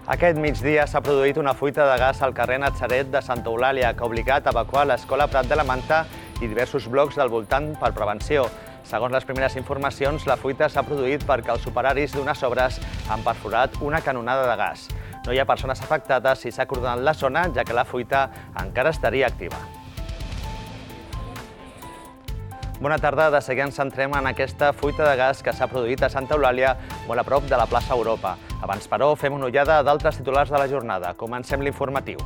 Aquest migdia s'ha produït una fuita de gas al carrer Natzaret de Santa Eulàlia que ha obligat a evacuar l'Escola Prat de la Manta i diversos blocs del voltant per prevenció. Segons les primeres informacions, la fuita s'ha produït perquè els operaris d'unes obres han perforat una canonada de gas. No hi ha persones afectades i s'ha acordonat la zona, ja que la fuita encara estaria activa. Bona tarda, de seguida ens centrem en aquesta fuita de gas que s'ha produït a Santa Eulàlia, molt a prop de la plaça Europa. Abans, però, fem una ullada d'altres titulars de la jornada. Comencem l'informatiu.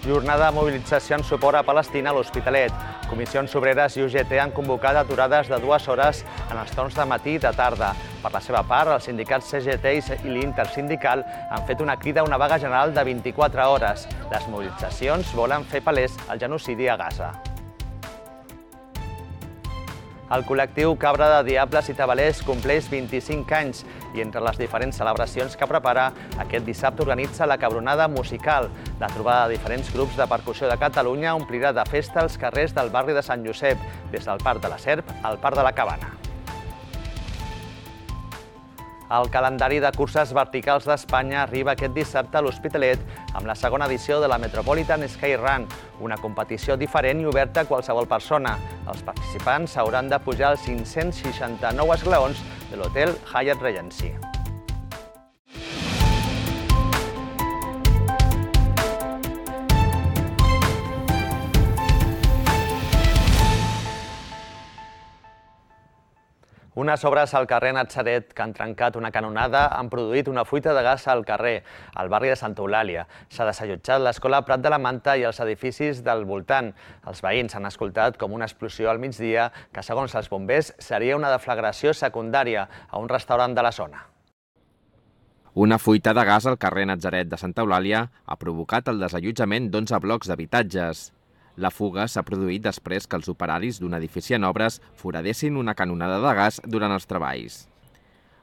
Jornada de mobilització en suport a Palestina a l'Hospitalet. Comissions Obreres i UGT han convocat aturades de 2 hores en els torns de matí i de tarda. Per la seva part, els sindicats CGT i l'Intersindical han fet una crida a una vaga general de 24 hores. Les mobilitzacions volen fer palès el genocidi a Gaza. El col·lectiu Cabra de Diables i Tabalers compleix 25 anys i entre les diferents celebracions que prepara, aquest dissabte organitza la Cabronada Musical. La trobada de diferents grups de percussió de Catalunya omplirà de festa els carrers del barri de Sant Josep, des del Parc de la Serp al Parc de la Cabana. El calendari de curses verticals d'Espanya arriba aquest dissabte a l'Hospitalet amb la segona edició de la Metropolitan Sky Run, una competició diferent i oberta a qualsevol persona. Els participants hauran de pujar als 569 esglaons de l'hotel Hyatt Regency. Unes obres al carrer Natzaret que han trencat una canonada han produït una fuita de gas al carrer, al barri de Santa Eulàlia. S'ha desallotjat l'Escola Prat de la Manta i els edificis del voltant. Els veïns han escoltat com una explosió al migdia que, segons els bombers, seria una deflagració secundària a un restaurant de la zona. Una fuita de gas al carrer Natzaret de Santa Eulàlia ha provocat el desallotjament d'11 blocs d'habitatges. La fuga s'ha produït després que els operaris d'un edifici en obres foradessin una canonada de gas durant els treballs.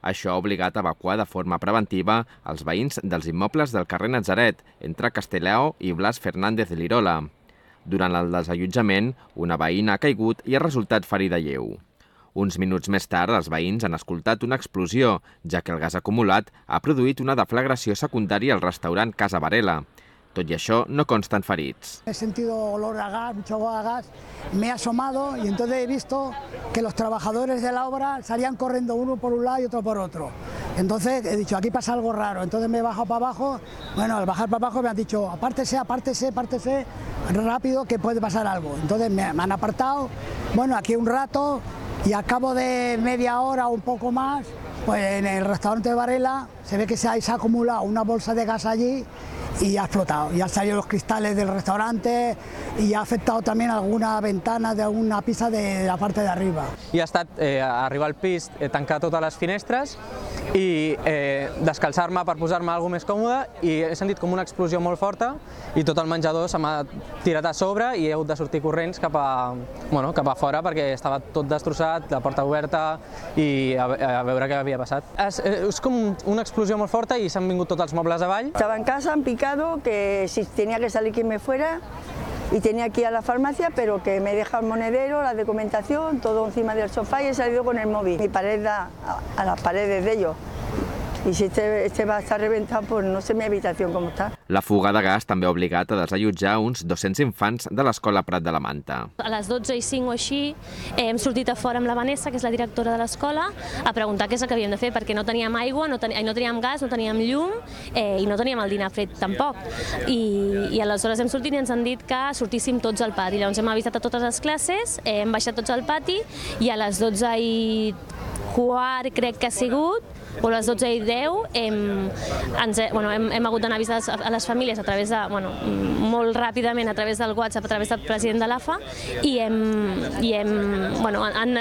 Això ha obligat a evacuar de forma preventiva els veïns dels immobles del carrer Natzaret, entre Castelao i Blas Fernández Lirola. Durant el desallotjament, una veïna ha caigut i ha resultat ferida lleu. Uns minuts més tard, els veïns han escoltat una explosió, ja que el gas acumulat ha produït una deflagració secundària al restaurant Casa Varela. Tot i això, no consten ferits. He sentido olor a gas, mucho olor a gas, me he asomado y entonces he visto que los trabajadores de la obra salían corriendo uno por un lado y otro por otro. Entonces he dicho, aquí pasa algo raro, entonces me he bajado para abajo, bueno, al bajar para abajo me han dicho, apártese, rápido que puede pasar algo. Entonces me han apartado, bueno, aquí un rato y al cabo de media hora o un poco más, pues en el restaurante de Varela se ve que se ha acumulado una bolsa de gas allí y ha explotado. Y han salido los cristales del restaurante y ha afectado también alguna ventana de alguna pista de la parte de arriba. I ha estat arribar al pis, tancar totes les finestres i descalçar-me per posar-me alguna més còmode i he sentit com una explosió molt forta i tot el menjador se m'ha tirat a sobre i he hagut de sortir corrents cap a fora perquè estava tot destrossat, la porta oberta i a veure què havia passat. És com una explosió molt forta i s'han vingut tots els mobles avall. Estaba en casa, han picado, que si tenía que salir que me fuera y tenía que ir a la farmacia, pero que me deja el monedero, la documentación, todo encima del sofá y he salido con el móvil. Mi pared da a las paredes de ellos. I si este va a estar reventat, pues no sé mi habitació com està. La fuga de gas també ha obligat a desallotjar uns 200 infants de l'Escola Prat de la Manta. A les 12:05 o així hem sortit a fora amb la Vanessa, que és la directora de l'escola, a preguntar què és el que havíem de fer, perquè no teníem aigua, no teníem gas, no teníem llum i no teníem el dinar fred tampoc. I aleshores hem sortit i ens han dit que sortíssim tots al pati. Llavors hem avisat a totes les classes, hem baixat tots al pati i a les 12:15 crec que ha sigut, o a les 12:10 hem hagut d'anar a avisar a les famílies a través de, molt ràpidament a través del WhatsApp, a través del president de l'AFA i han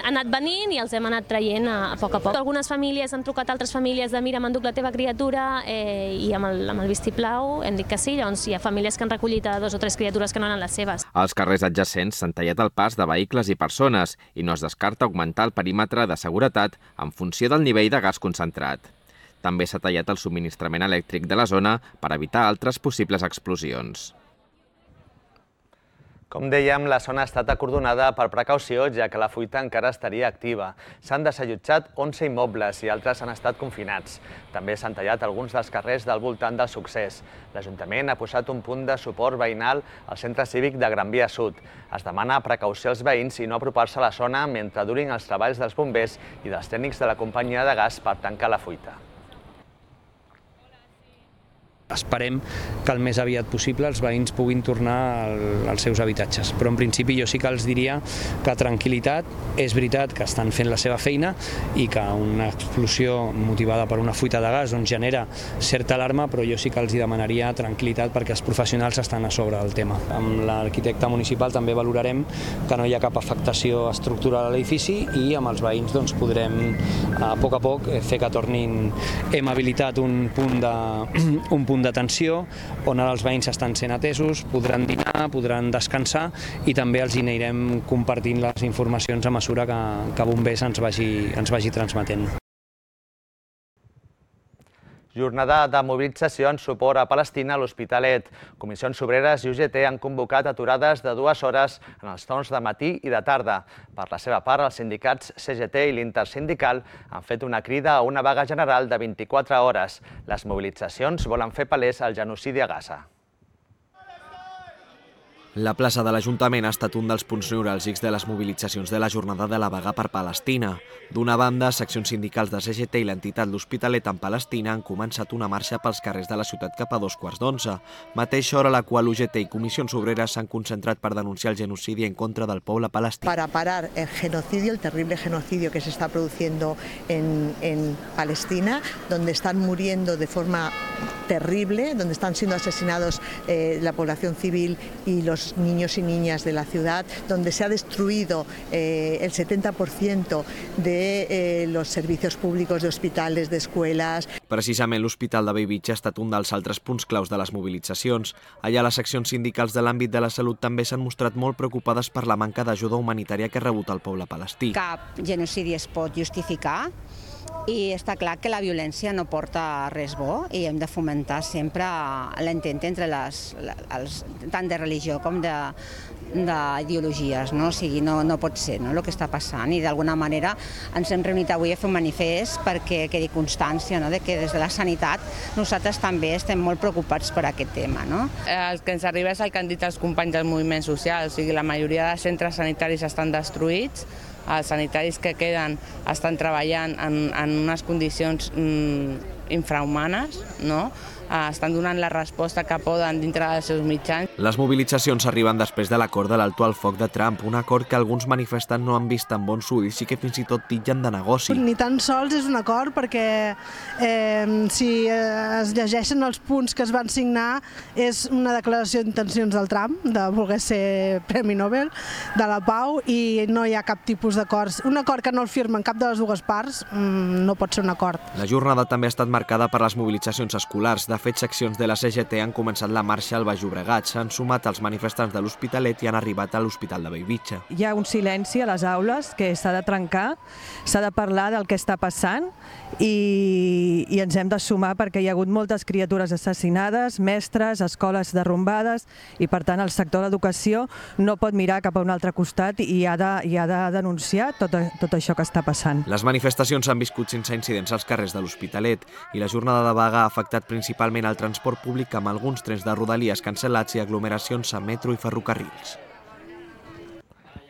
anat venint i els hem anat traient a poc a poc. Algunes famílies han trucat a altres famílies de mira, m'enduc la teva criatura i amb el vistiplau hem dit que sí, llavors hi ha famílies que han recollit a 2 o 3 criatures que no eren les seves. Als carrers adjacents s'han tallat el pas de vehicles i persones i no es descarta augmentar el perímetre de seguretat en funció del nivell de gas concentrat. També s'ha tallat el subministrament elèctric de la zona per evitar altres possibles explosions. Com dèiem, la zona ha estat acordonada per precaució, ja que la fuita encara estaria activa. S'han desallotjat 11 immobles i altres han estat confinats. També s'han tallat alguns dels carrers del voltant del succés. L'Ajuntament ha posat un punt de suport veïnal al centre cívic de Gran Via Sud. Es demana precaució als veïns i no apropar-se a la zona mentre durin els treballs dels bombers i dels tècnics de la companyia de gas per tancar la fuita. Esperem que el més aviat possible els veïns puguin tornar als seus habitatges. Però en principi jo sí que els diria que tranquil·litat, és veritat que estan fent la seva feina i que una explosió motivada per una fuita de gas genera certa alarma, però jo sí que els demanaria tranquil·litat perquè els professionals estan a sobre del tema. Amb l'arquitecte municipal també valorarem que no hi ha cap afectació estructural a l'edifici i amb els veïns podrem a poc fer que tornin. Hem habilitat un punt d'atenció on ara els veïns estan sent atesos, podran dinar, podran descansar i també els anirem compartint les informacions a mesura que Bombers ens vagi transmetent. Jornada de mobilització en suport a Palestina a l'Hospitalet. Comissions Obreres i UGT han convocat aturades de 2 hores en els torns de matí i de tarda. Per la seva part, els sindicats CGT i l'Intersindical han fet una crida a una vaga general de 24 hores. Les mobilitzacions volen fer palès el genocidi a Gaza. La plaça de l'Ajuntament ha estat un dels punts neuràlgics de les mobilitzacions de la jornada de la vaga per Palestina. D'una banda, seccions sindicals de CGT i l'entitat L'Hospitalet en Palestina han començat una marxa pels carrers de la ciutat cap a 2:15, mateixa hora a la qual UGT i Comissions Obreres s'han concentrat per denunciar el genocidi en contra del poble palestí. Para parar el genocidio, el terrible genocidio que se está produciendo en Palestina, donde están muriendo de forma terrible, donde están siendo asesinados la población civil y los niños y niñas de la ciudad, donde se ha destruido el 70% de los servicios públicos de hospitales, d'escoles. Precisament l'Hospital de Bellvitge ha estat un dels altres punts claus de les mobilitzacions. Allà les seccions sindicals de l'àmbit de la salut també s'han mostrat molt preocupades per la manca d'ajuda humanitària que ha rebut el poble palestí. Cap genocidi es pot justificar i està clar que la violència no porta res bo i hem de fomentar sempre l'entente entre tant de religió com d'ideologies, no? O sigui, no pot ser el que està passant i d'alguna manera ens hem reunit avui a fer un manifest perquè quedi constància de que des de la sanitat nosaltres també estem molt preocupats per aquest tema. El que ens arriba és el que han dit els companys del moviment social, o sigui, la majoria de centres sanitaris estan destruïts, els sanitaris que queden estan treballant en unes condicions infrahumanes, estan donant la resposta que poden dintre dels seus mitjans. Les mobilitzacions arriben després de l'acord de l'alto al foc de Trump, un acord que alguns manifestants no han vist amb bons ulls i que fins i tot titllen de negoci. Ni tan sols és un acord perquè si es llegeixen els punts que es van signar és una declaració d'intencions del Trump de voler ser Premi Nobel de la Pau i no hi ha cap tipus d'acord. Un acord que no el firmen cap de les dues parts no pot ser un acord. La jornada també ha estat marcada per les mobilitzacions escolars. De fet, seccions de la CGT han començat la marxa al Baix Llobregat, s'han sumat als manifestants de l'Hospitalet i han arribat a l'Hospital de Bellvitge. Hi ha un silenci a les aules que s'ha de trencar, s'ha de parlar del que està passant i ens hem de sumar perquè hi ha hagut moltes criatures assassinades, mestres, escoles derrumbades i per tant el sector d'educació no pot mirar cap a un altre costat i ha de denunciar tot això que està passant. Les manifestacions s'han viscut sense incidents als carrers de l'Hospitalet i la jornada de vaga ha afectat principalment el transport públic amb alguns trens de rodalies cancel·lats i aglomeracions a metro i ferrocarrils.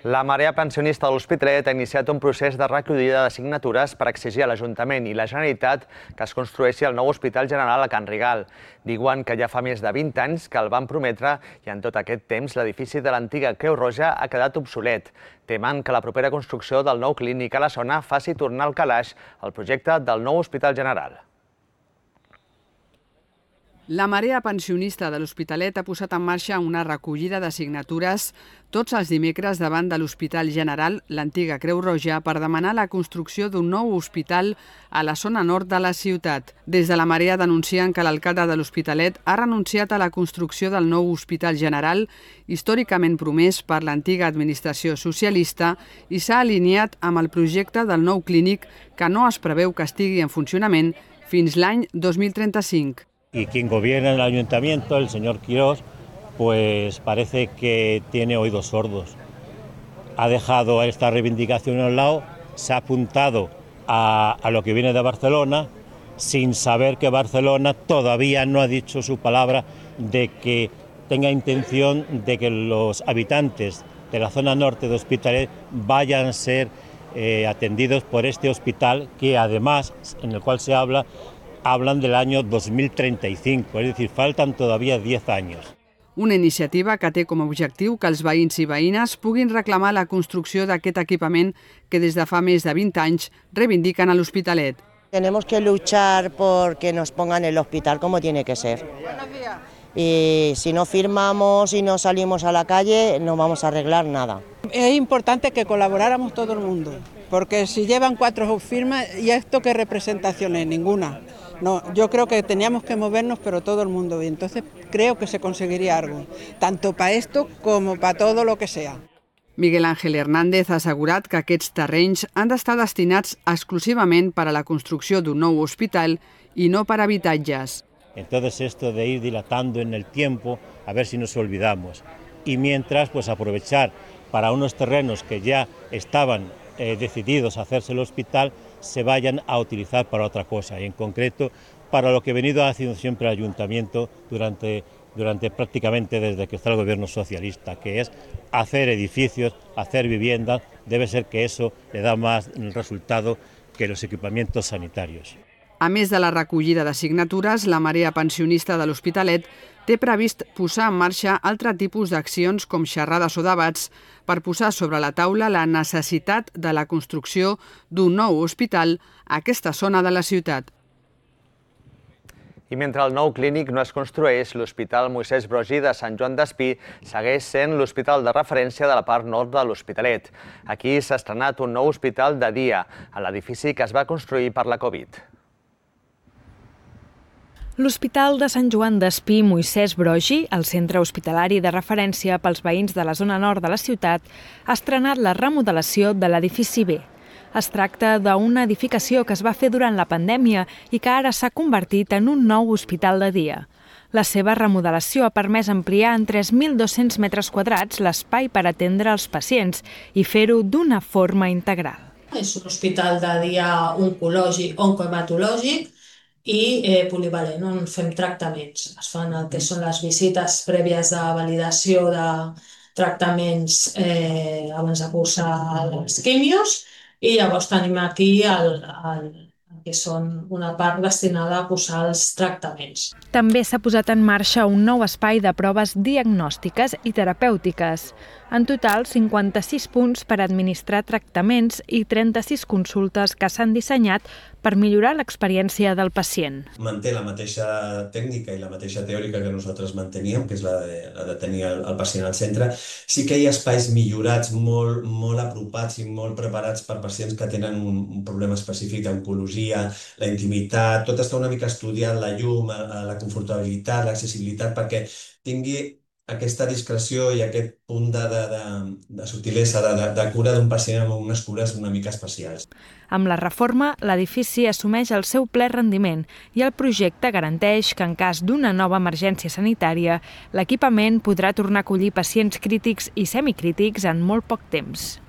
La Marea Pensionista de l'Hospitalet ha iniciat un procés de recollida de signatures per exigir a l'Ajuntament i la Generalitat que es construeixi el nou Hospital General a Can Rigal. Diuen que ja fa més de 20 anys que el van prometre i en tot aquest temps l'edifici de l'antiga Creu Roja ha quedat obsolet. Temen que la propera construcció del nou clínic a la zona faci tornar al calaix el projecte del nou Hospital General. La Marea Pensionista de l'Hospitalet ha posat en marxa una recollida de signatures tots els dimecres davant de l'Hospital General, l'antiga Creu Roja, per demanar la construcció d'un nou hospital a la zona nord de la ciutat. Des de la Marea denuncien que l'alcalde de l'Hospitalet ha renunciat a la construcció del nou Hospital General, històricament promès per l'antiga administració socialista, i s'ha alineat amb el projecte del nou clínic que no es preveu que estigui en funcionament fins l'any 2035. Y quien gobierna en el ayuntamiento, el señor Quirós, pues parece que tiene oídos sordos. Ha dejado esta reivindicación a un lado, se ha apuntado a lo que viene de Barcelona, sin saber que Barcelona todavía no ha dicho su palabra de que tenga intención de que los habitantes de la zona norte de Hospitalet vayan a ser atendidos por este hospital, que además, en el cual se hablan del año 2035, es decir, faltan todavía 10 años. Una iniciativa que té com a objectiu que els veïns i veïnes puguin reclamar la construcció d'aquest equipament que des de fa més de 20 anys reivindiquen a l'Hospitalet. Tenemos que luchar porque nos pongan el hospital como tiene que ser. Y si no firmamos y no salimos a la calle, no vamos a arreglar nada. Es importante que colaboráramos todo el mundo, porque si llevan 4 firmas, ¿y esto qué representación es? Ninguna. No, yo creo que teníamos que movernos, pero todo el mundo, y entonces creo que se conseguiría algo, tanto para esto como para todo lo que sea. Miguel Ángel Hernández ha assegurat que aquests terrenys han d'estar destinats exclusivament per a la construcció d'un nou hospital i no per a habitatges. Entonces esto de ir dilatando en el tiempo, a ver si nos olvidamos. Y mientras, pues aprovechar para unos terrenos que ya estaban decididos a hacerse el hospital, se vayan a utilizar para otra cosa, y en concreto para lo que ha venido haciendo siempre el ayuntamiento durante prácticamente desde que está el gobierno socialista, que es hacer edificios, hacer viviendas. Debe ser que eso le da más resultado que los equipamientos sanitarios. A més de la recollida de signatures, la Marea Pensionista de l'Hospitalet té previst posar en marxa altre tipus d'accions com xerrades o debats per posar sobre la taula la necessitat de la construcció d'un nou hospital a aquesta zona de la ciutat. I mentre el nou clínic no es construeix, l'Hospital Moisès Broggi de Sant Joan d'Espí segueix sent l'hospital de referència de la part nord de l'Hospitalet. Aquí s'ha estrenat un nou hospital de dia, a l'edifici que es va construir per la Covid. L'Hospital de Sant Joan d'Espí Moisès Broggi, el centre hospitalari de referència pels veïns de la zona nord de la ciutat, ha estrenat la remodelació de l'edifici B. Es tracta d'una edificació que es va fer durant la pandèmia i que ara s'ha convertit en un nou hospital de dia. La seva remodelació ha permès ampliar en 3.200 metres quadrats l'espai per atendre els pacients i fer-ho d'una forma integral. És un hospital de dia oncològic, oncohematològic, i polivalent, on fem tractaments. Es fan el que són les visites prèvies de validació de tractaments abans de cursar les quimios, i llavors tenim aquí el que són una part destinada a cursar els tractaments. També s'ha posat en marxa un nou espai de proves diagnòstiques i terapèutiques. En total, 56 punts per administrar tractaments i 36 consultes que s'han dissenyat per millorar l'experiència del pacient. Manté la mateixa tècnica i la mateixa teòrica que nosaltres manteníem, que és la de tenir el pacient al centre. Sí que hi ha espais millorats, molt apropats i molt preparats per pacients que tenen un problema específic d'oncologia, la intimitat, tot està una mica estudiat, la llum, la confortabilitat, l'accessibilitat, perquè tingui aquesta discreció i aquest punt de subtilesa, de cura d'un pacient amb unes cures una mica especials. Amb la reforma, l'edifici assumeix el seu ple rendiment i el projecte garanteix que en cas d'una nova emergència sanitària, l'equipament podrà tornar a acollir pacients crítics i semicrítics en molt poc temps.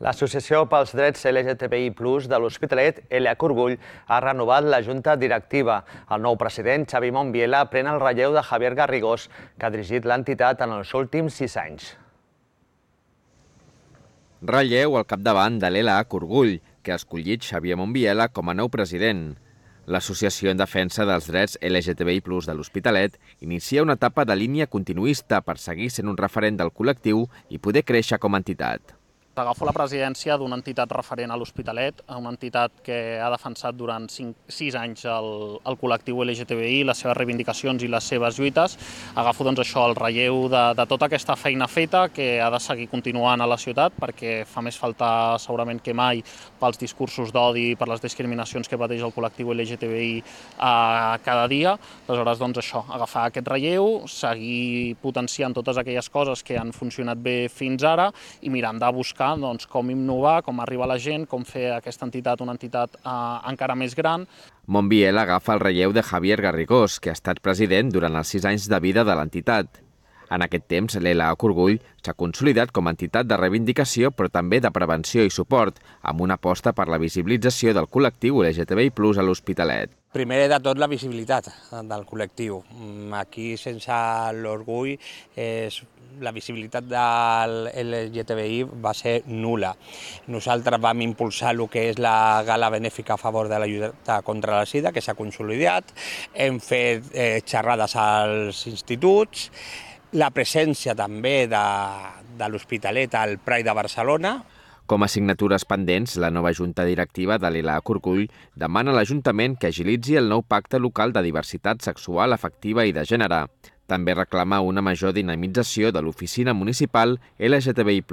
L'Associació pels Drets LGTBI+ de l'Hospitalet, Elia Corbull, ha renovat la junta directiva. El nou president, Xavi Monbiela, pren el relleu de Javier Garrigós, que ha dirigit l'entitat en els últims 6 anys. Relleu al capdavant de l'Elia Corbull, que ha escollit Xavier Monbiela com a nou president. L'Associació en Defensa dels Drets LGTBI+ de l'Hospitalet inicia una etapa de línia continuista per seguir sent un referent del col·lectiu i poder créixer com a entitat. Agafo la presidència d'una entitat referent a l'Hospitalet, una entitat que ha defensat durant 6 anys el col·lectiu LGTBI, les seves reivindicacions i les seves lluites. Agafo això, el relleu de tota aquesta feina feta que ha de seguir continuant a la ciutat, perquè fa més falta segurament que mai pels discursos d'odi, per les discriminacions que pateix el col·lectiu LGTBI cada dia. Aleshores, això, agafar aquest relleu, seguir potenciant totes aquelles coses que han funcionat bé fins ara i mirant de buscar buscar com innovar, com arribar a la gent, com fer aquesta entitat una entitat encara més gran. Montbiel agafa el relleu de Javier Garrigós, que ha estat president durant els 6 anys de vida de l'entitat. En aquest temps, l'ELA Corgull s'ha consolidat com a entitat de reivindicació, però també de prevenció i suport, amb una aposta per la visibilització del col·lectiu LGTBI+ a l'Hospitalet. Primer de tot, la visibilitat del col·lectiu. Aquí, sense l'orgull, la visibilitat del LGTBI va ser nul·la. Nosaltres vam impulsar el que és la gala benèfica a favor de la lluita contra la sida, que s'ha consolidat. Hem fet xerrades als instituts, la presència també de l'Hospitalet al Pride de Barcelona. Com a assignatures pendents, la nova junta directiva de l'ELA Corgull demana a l'Ajuntament que agilitzi el nou pacte local de diversitat sexual, afectiva i de gènere. També reclama una major dinamització de l'oficina municipal LGTBI+.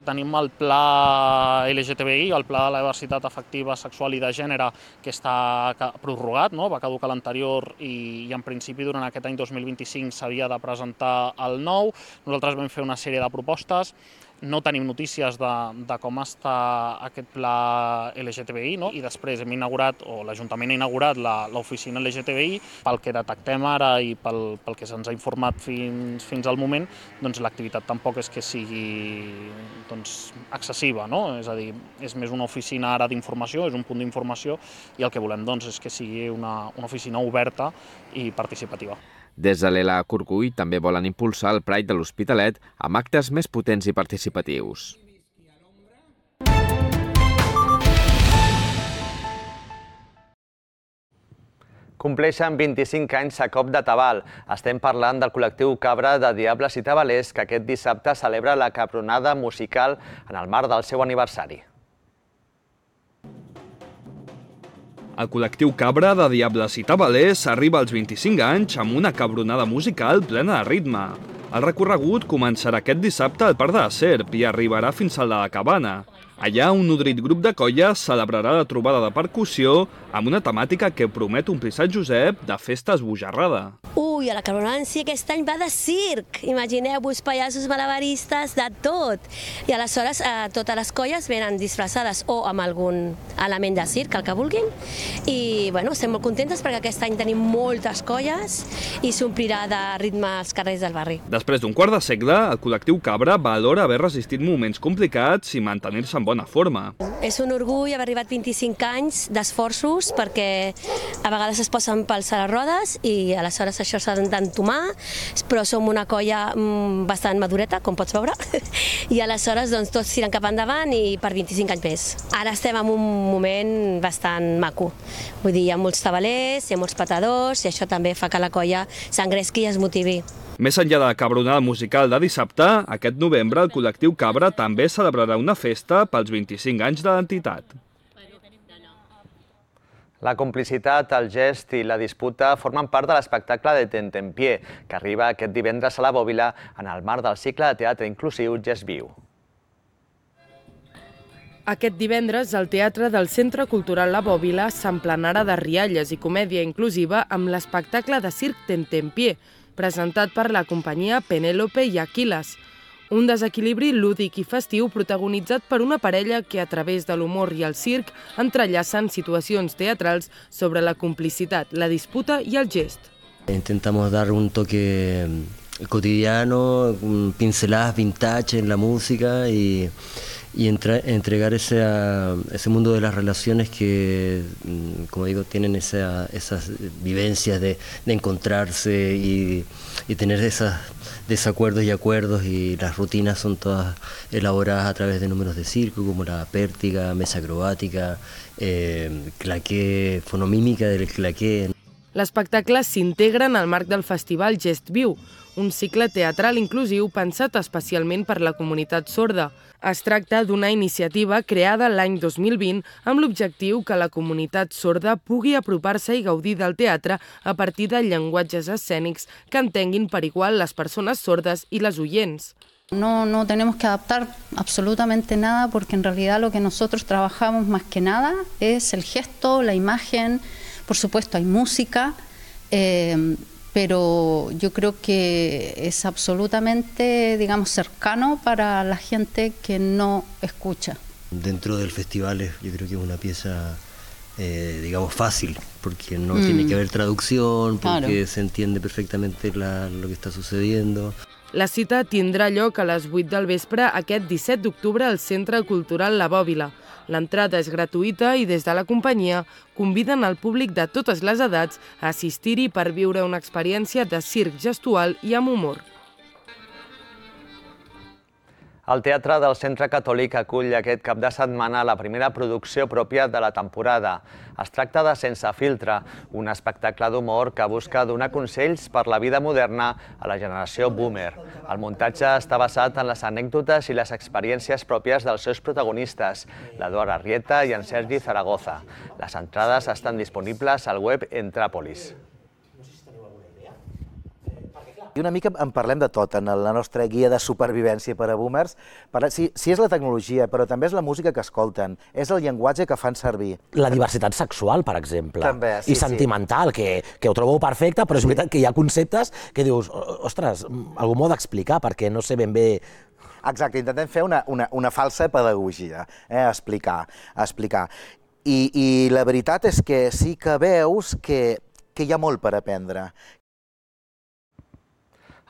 Tenim el pla LGTBI, el pla de la diversitat afectiva, sexual i de gènere, que està prorrogat, va caducar l'anterior i en principi durant aquest any 2025 s'havia de presentar el nou. Nosaltres vam fer una sèrie de propostes. No tenim notícies de com està aquest pla LGTBI, i després hem inaugurat, o l'Ajuntament ha inaugurat l'oficina LGTBI. Pel que detectem ara i pel que se'ns ha informat fins al moment, l'activitat tampoc és que sigui excessiva, és a dir, és més una oficina ara d'informació, és un punt d'informació, i el que volem és que sigui una oficina oberta i participativa. Des de l'ELA Corgull també volen impulsar el Pride de l'Hospitalet amb actes més potents i participatius. Compleixen 25 anys a Cop de Tabal. Estem parlant del col·lectiu Cabra de Diables i Tabalers, que aquest dissabte celebra la capronada musical en el marc del seu aniversari. El col·lectiu Cabra de Diables i Tabalers arriba als 25 anys amb una cabronada musical plena de ritme. El recorregut començarà aquest dissabte al Parc de la Serp i arribarà fins a la Cabana. Allà, un nodrit grup de colles celebrarà la trobada de percussió amb una temàtica que promet omplir Sant Josep de festa esbojarrada. Ui, a la cabronada en si aquest any va de circ. Imagineu-vos pallassos malabaristes, de tot. I aleshores totes les colles venen disfressades o amb algun element de circ, el que vulguin. I estem molt contentes perquè aquest any tenim moltes colles i s'omplirà de ritme als carrers del barri. Després d'un quart de segle, el col·lectiu Cabra valora haver resistit moments complicats i mantenir-se en bona forma. És un orgull haver arribat 25 anys d'esforços perquè a vegades es posen pals a les rodes i aleshores això s'ha d'entomar, però som una colla bastant madureta, com pots veure, i aleshores tots tiren cap endavant i per 25 anys més. Ara estem en un moment bastant maco. Vull dir, hi ha molts tabalers, hi ha molts petadors i això també fa que la colla s'engresqui i es motivi. Més enllà de la cabronada musical de dissabte, aquest novembre el col·lectiu Cabra també celebrarà una festa pels 25 anys de l'entitat. La complicitat, el gest i la disputa formen part de l'espectacle de Tentempié, que arriba aquest divendres a la Bòbila en el marc del cicle de teatre inclusiu Gest Viu. Aquest divendres, el Teatre del Centre Cultural La Bòbila s'emplenarà de rialles i comèdia inclusiva amb l'espectacle de circ Tentempié, presentat per la companyia Penélope i Aquiles. Un desequilibri lúdic i festiu protagonitzat per una parella que a través de l'humor i el circ entrellacen situacions teatrals sobre la complicitat, la disputa i el gest. Intentamos dar un toque cotidiano, pinceladas vintage en la música y entregar ese mundo de las relaciones que, como digo, tienen esas vivencias de encontrarse y tener esos desacuerdos y acuerdos, y las rutinas son todas elaboradas a través de números de circo como la pértiga, mesa acrobàtica, claqué, fonomímica del claqué. L'espectacle s'integra en el marc del festival Gest Viu, un cicle teatral inclusiu pensat especialment per la comunitat sorda. Es tracta d'una iniciativa creada l'any 2020 amb l'objectiu que la comunitat sorda pugui apropar-se i gaudir del teatre a partir de llenguatges escènics que entenguin per igual les persones sordes i les oients. No tenemos que adaptar absolutamente nada porque en realidad lo que nosotros trabajamos más que nada es el gesto, la imagen, por supuesto hay música, pero yo creo que es absolutamente, digamos, cercano para la gente que no escucha. Dentro del festival yo creo que es una pieza, digamos, fácil, porque no tiene que haber traducción, porque se entiende perfectamente lo que está sucediendo. La cita tindrà lloc a les 8 del vespre aquest 17 d'octubre al Centre Cultural La Bòbila. L'entrada és gratuïta i des de la companyia conviden al públic de totes les edats a assistir-hi per viure una experiència de circ gestual i amb humor. El Teatre del Centre Catòlic acull aquest cap de setmana la primera producció pròpia de la temporada. Es tracta de Sense filtre, un espectacle d'humor que busca donar consells per la vida moderna a la generació boomer. El muntatge està basat en les anècdotes i les experiències pròpies dels seus protagonistes, l'Eduard Arrieta i en Sergi Zaragoza. Les entrades estan disponibles al web Entràpolis. I una mica en parlem de tot en la nostra guia de supervivència per a boomers. Si és la tecnologia, però també és la música que escolten, és el llenguatge que fan servir. La diversitat sexual, per exemple, també, sí, i sentimental, que ho trobo perfecte, però és veritat que hi ha conceptes que dius, ostres, algú m'ho ha d'explicar perquè no sé ben bé... Exacte, intentem fer una falsa pedagogia, explicar. I la veritat és que sí que veus que hi ha molt per aprendre.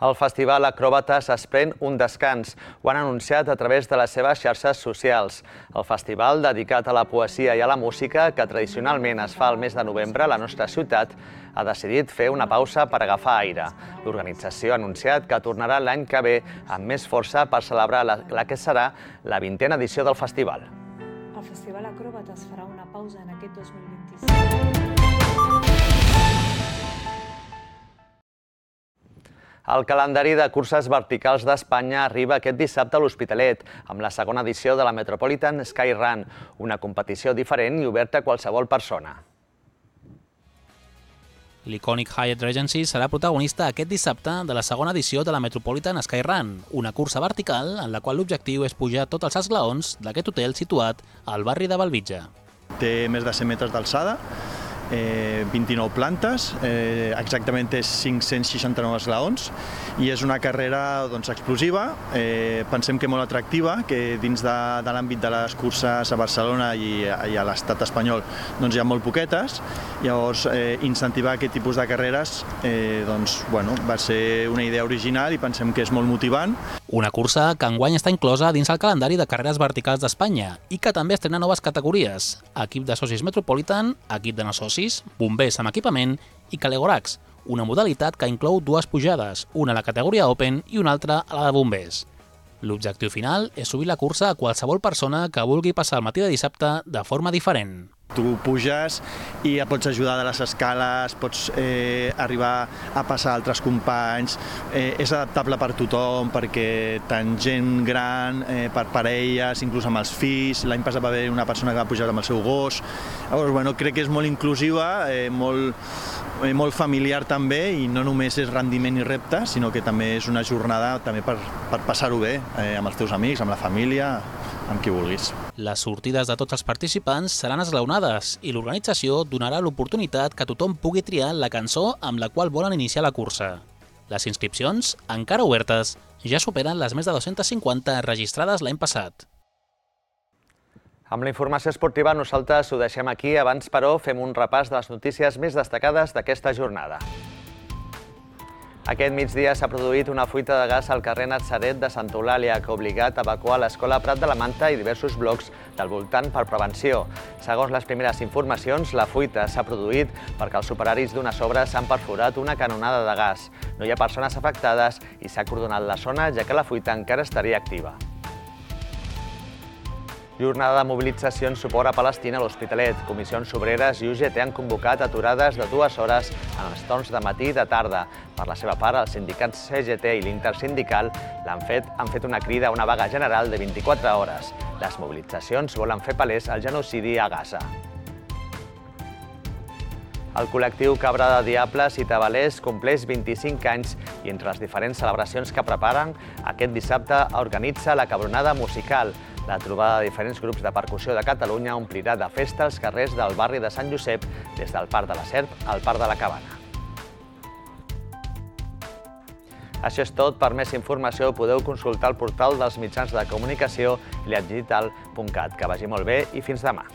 El Festival Acròbates es pren un descans. Ho han anunciat a través de les seves xarxes socials. El festival, dedicat a la poesia i a la música, que tradicionalment es fa al mes de novembre a la nostra ciutat, ha decidit fer una pausa per agafar aire. L'organització ha anunciat que tornarà l'any que ve amb més força per celebrar la que serà la 20a edició del festival. El Festival Acròbates farà una pausa en aquest 2025. El calendari de curses verticals d'Espanya arriba aquest dissabte a l'Hospitalet, amb la segona edició de la Metropolitan Skyrun, una competició diferent i oberta a qualsevol persona. L'icònic Hyatt Regency serà protagonista aquest dissabte de la segona edició de la Metropolitan Skyrun, una cursa vertical en la qual l'objectiu és pujar tots els esglaons d'aquest hotel situat al barri de Bellvitge. Té més de 100 metres d'alçada, 29 plantes, exactament té 569 esglaons i és una carrera explosiva, pensem que molt atractiva, que dins de l'àmbit de les curses a Barcelona i a l'estat espanyol hi ha molt poquetes, llavors incentivar aquest tipus de carreres va ser una idea original i pensem que és molt motivant. Una cursa que enguany està inclosa dins el calendari de carreres verticals d'Espanya i que també estrena noves categories: equip de socis Metropolitan, equip de no socis, bombers amb equipament i Calegorax, una modalitat que inclou dues pujades, una a la categoria Open i una altra a la de bombers. L'objectiu final és subir la cursa a qualsevol persona que vulgui passar el matí de dissabte de forma diferent. Tu puges i ja pots ajudar de les escales, pots arribar a passar a altres companys, és adaptable per tothom, perquè tant gent gran, per parelles, inclús amb els fills, l'any passat va haver una persona que va pujar amb el seu gos, llavors crec que és molt inclusiva, molt familiar també, i no només és rendiment i repte, sinó que també és una jornada també per passar-ho bé amb els teus amics, amb la família, amb qui vulguis. Les sortides de tots els participants seran esglaonades i l'organització donarà l'oportunitat que tothom pugui triar la cançó amb la qual volen iniciar la cursa. Les inscripcions, encara obertes, ja superen les més de 250 registrades l'any passat. Amb la informació esportiva nosaltres ho deixem aquí, abans però fem un repàs de les notícies més destacades d'aquesta jornada. Aquest migdia s'ha produït una fuita de gas al carrer Natzaret de Santa Eulàlia que ha obligat a evacuar l'Escola Prat de la Manta i diversos blocs del voltant per prevenció. Segons les primeres informacions, la fuita s'ha produït perquè els operaris d'unes obres han perforat una canonada de gas. No hi ha persones afectades i s'ha acordonat la zona, ja que la fuita encara estaria activa. Jornada de mobilització en suport a Palestina a l'Hospitalet. Comissions obreres i UGT han convocat aturades de 2 hores en els torns de matí i de tarda. Per la seva part, els sindicats CGT i l'Intersindical han fet una crida a una vaga general de 24 hores. Les mobilitzacions volen fer palès el genocidi a Gaza. El col·lectiu Cabra de Diables i Tabalers compleix 25 anys i entre les diferents celebracions que preparen, aquest dissabte organitza la Cabronada Musical. La trobada de diferents grups de percussió de Catalunya omplirà de festa els carrers del barri de Sant Josep, des del Parc de la Serp al Parc de la Cabana. Això és tot. Per més informació podeu consultar el portal dels mitjans de comunicació liatdigital.cat. Que vagi molt bé i fins demà.